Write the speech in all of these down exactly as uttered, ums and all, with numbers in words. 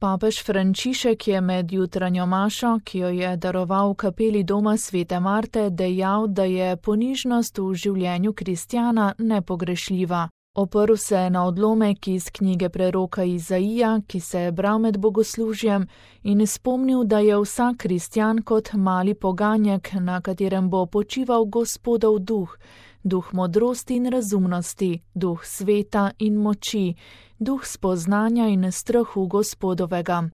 Papež Frančišek je med jutranjo mašo, ki jo je daroval v kapeli doma svete Marte, dejal, da je ponižnost v življenju kristjana nepogrešljiva. Oprl se je na odlomek iz knjige preroka Izaija, ki se je bral med bogoslužjem, in spomnil, da je vsak kristjan kot mali poganjek, na katerem bo počival Gospodov duh, duh modrosti in razumnosti, duh sveta in moči, duh spoznanja in strahu Gospodovega.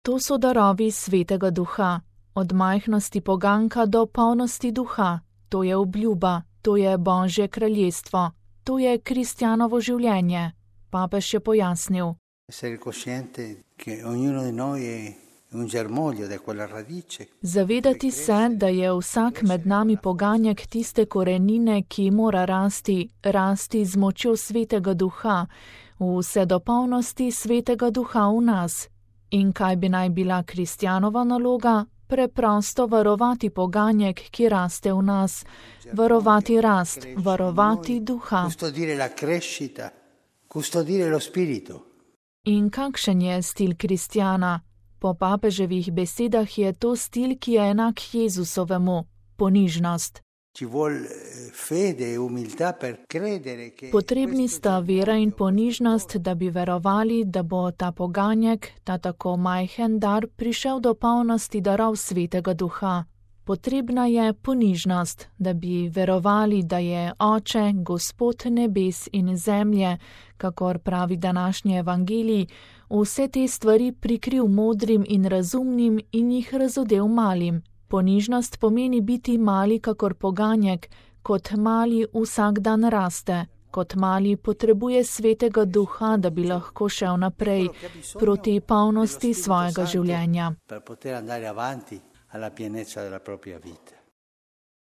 To so darovi svetega duha, od majhnosti poganka do polnosti duha, to je obljuba, to je Božje kraljestvo, to je kristjanovo življenje, papež je pojasnil. Zavedati se, da je vsak med nami poganjek tiste korenine, ki mora rasti, rasti z močjo svetega duha, vse do polnosti svetega duha v nas. In kaj bi naj bila kristjanova naloga? Preprosto varovati poganjek, ki raste v nas, varovati rast, varovati duha. In kakšen je stil kristjana? Po papeževih besedah je to stil, ki je enak Jezusovemu, ponižnost. Potrebni sta vera in ponižnost, da bi verovali, da bo ta poganjek, ta tako majhen dar, prišel do polnosti darov svetega duha. Potrebna je ponižnost, da bi verovali, da je Oče, Gospod nebes in zemlje, kakor pravi današnji evangelij, vse te stvari prikril modrim in razumnim in jih razodel malim. Ponižnost pomeni biti mali kakor poganjek, kot mali vsak dan raste, kot mali potrebuje svetega duha, da bi lahko šel naprej proti polnosti svojega življenja.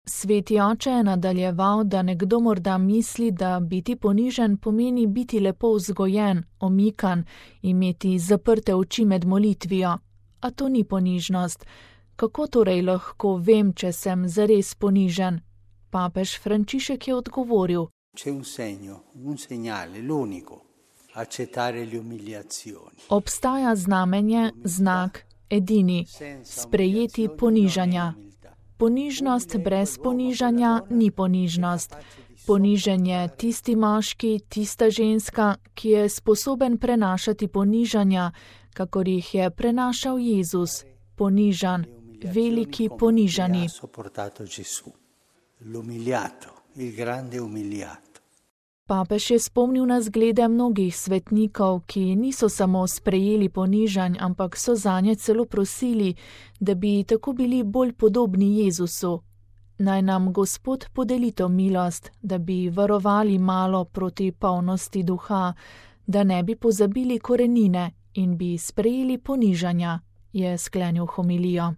Sveti oče je nadaljeval, da nekdo morda misli, da biti ponižen pomeni biti lepo vzgojen, omikan, imeti zaprte oči med molitvijo. A to ni ponižnost. Kako torej lahko vem, če sem zares ponižen? Papež Frančišek je odgovoril. Obstaja znamenje, znak, edini, sprejeti ponižanja. Ponižnost brez ponižanja ni ponižnost. Ponižen je tisti moški, tista ženska, ki je sposoben prenašati ponižanja, kakor jih je prenašal Jezus, ponižan. Veliki ponižani. Papež je spomnil na zglede mnogih svetnikov, ki niso samo sprejeli ponižanj, ampak so zanje celo prosili, da bi tako bili bolj podobni Jezusu. Naj nam Gospod podeli to milost, da bi varovali malo proti polnosti duha, da ne bi pozabili korenine in bi sprejeli ponižanja, je sklenil homilijo.